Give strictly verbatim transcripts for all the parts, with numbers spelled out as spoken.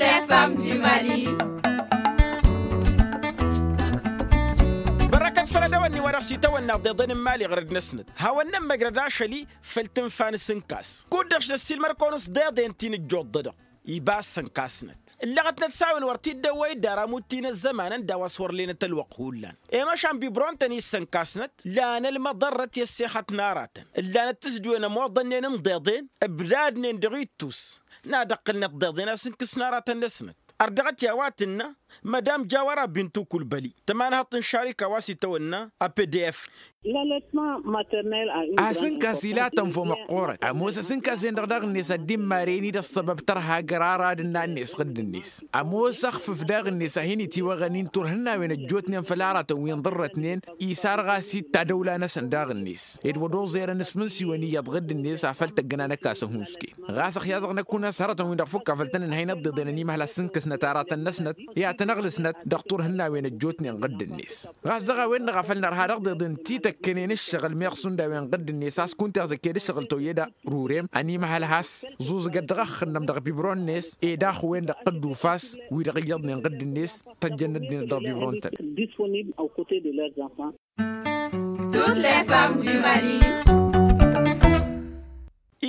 Fm di mali. Bărrăkăt făll-edăwănni wa dăɣ-s itawănna ḍeḍen n-imali ɣărăd-năsnăt hawăn-nămmăjrăd ašăl-i făll-tǝnfa n-asǝnkas kud-dăɣ s-năssiilmăr-kăwăn s-ḍeḍen ti n-ǝjjuḍ-dăɣ. Iba a-s ănkasnăt ǝllăɣătnăt s-a-wen wăr t-dd-ăwwăy dd-ara amuttǝy n-ăzzăman ǝnda a-wa s-wăr lenăt ălwăqq hullan. I-măšan bibron-tăn-i s-ănkasnăt lan ălmăḍărrăt i-ăssexăt n-aratăn ǝllanăt tǝsdǝwen ămoḍănnen n-iḍeḍen ǝbdadnen dăɣ-ittus. N-ad-ǝqqǝlnăt ḍeḍen a-s ǝnkǝsna aratăn-năsnăt. Ărdăɣăt i-a-wa tǝnnă mădam jawăra bintu kulbăli tămanhăḍt n-šarika wa s-itawănna a pdf. Asǝnkas ilatăn fo măqqoorăt ămoos asǝnkas-en-dăɣ daɣ-net ad-dd-immaren-i d-ăṣṣăbăb tărha jăr arad ǝnnan-net ɣǝdd-net. Ămoos ăxfǝf daɣ-net a hin-itiwăɣăn-in turhǝnnawen ăjjootnen făll-aratăn wi ǝnḍărrătnen isar ɣas-dd tadăwla-năsăn daɣ-net. Ed wăr oẓerăn s-imǝnsiwăn iyyăḍ ɣǝdd-net afăl tăggǝna n-ăkasăn hunǝske. Ɣas ăxyaẓăɣ năkk-unăs hărătăn-win-dăɣ fukk afăl tăn-ǝnhăynăt ḍeḍen ănimhăl ăssǝnkǝsnăt aratăn-năsnăt i-ad-tăn-ăɣlǝsnăt dăɣ-turhǝnnawen ăjjootnen ɣǝdd-net. Ɣas dăɣ-a-wen-dăɣ a făl nărha dăɣ-deḍen ti tăkkănen ǝššăɣǝl meɣ šund a-wen ɣǝdd-net a-s kunta iɣzăk-ed ǝššăɣǝl toyyăd rurem ănimhăl has-ẓuẓǝgăt dăɣ-ăxxǝnnăm dăɣ-bibron-net. Ed axǝwen dăɣ-tăddufas wi-dăɣ iyyăḍnen ɣǝdd-net tăjjănnăt-dd dăɣ-bibron-tăn.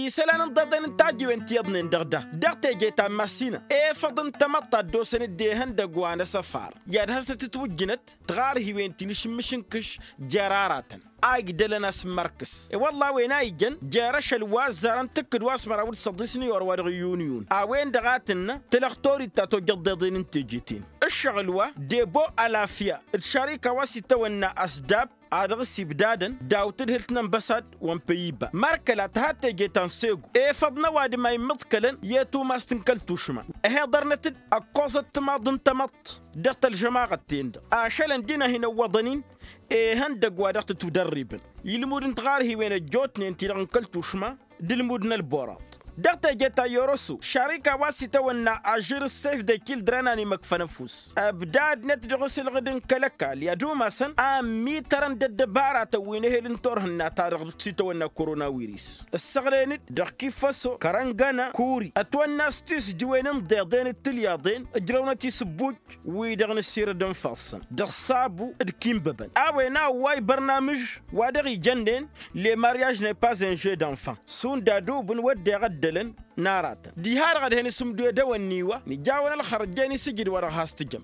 Isălan n-iḍeḍen n-tajǝwen ti iyyăḍnen dăɣ-da dăɣ-teje ta n-masină efăḍ n-tamăḍt ta dd-osăn-dd ehăndăgg wa n-asăfar i-ad-hasnăt-ǝtwǝjjǝnăt. Tiɣarhiwen ti n-ašǝmmǝš n-kǝš jer-aratăn a igdălăn a-s n-imărkǝs i-wălla a-wen a ijăn jer-ašăl wa ăzzarăn tǝkkǝd wa s-măraw d-săḍis n-iyor wa dăɣ-iyyunyun a-wen-dăɣ a tǝnnă. Tălăɣ torit ta tojjăḍ deḍen n-teje-ten ǝššăɣǝl wa debo alafya d-šarika wa s-itawănna ăsdab a dăɣ-s ibdadăn daw-tǝdhǝlt n-ănbăsad wa n-păyyiba mărkăla tǝha teje ta n-segu efăḍ n-ăwadǝm a immǝḍkălăn i-tumast n-kăl-tušma. Ăheḍărnăt-dd ăkkoẓăt timaḍ n-tamăḍt dăɣ-tălžămaɣăt-ten-dăɣ ašălăn d-inăhhin ăwwăḍăn-in. Ihăndăgg wa dăɣ-tǝtwǝdărribăn ilmud n-tiɣarhiwen ăjjootnen-ti-dăɣ n-kăl-tušma d-ilmud n-ălboraḍ. Dăɣ-teje ta n-yoroso šarika wa s-itawănna ažžǝr s-sef de kildren a n-imăkfăn ăfuss ăbdadnăt dăɣ-asǝlɣǝd n-kăl-ăkall i-ad-umasăn a ǝmmitărăn d-ăddăbaratăn wi n-ehel n-turhǝnna-ta-dăɣ s-itawănna koronawiris. Ǝssăɣlen-dd dăɣ-kifăso kărăngăna kuri ătwănna s-tisdǝwen n-deḍen d-tilyaḍen ǝjrăwnăt isǝbbuj wi-dăɣ n-asirăd n-ifassăn dăɣ-sabu d-kinbăbăn a-wen a ăwway bărnamǝž wa dăɣ-ijănnen. Le mariaž ne pas un jeu d-enfant šund adubǝn wădden ăddălăn n-aratăn diha-dăɣ ădhen asǝmdu i-dăwănni wa nǝjawăn ălxărăt jen isǝjǝd wa dăɣ-has-tǝjăm.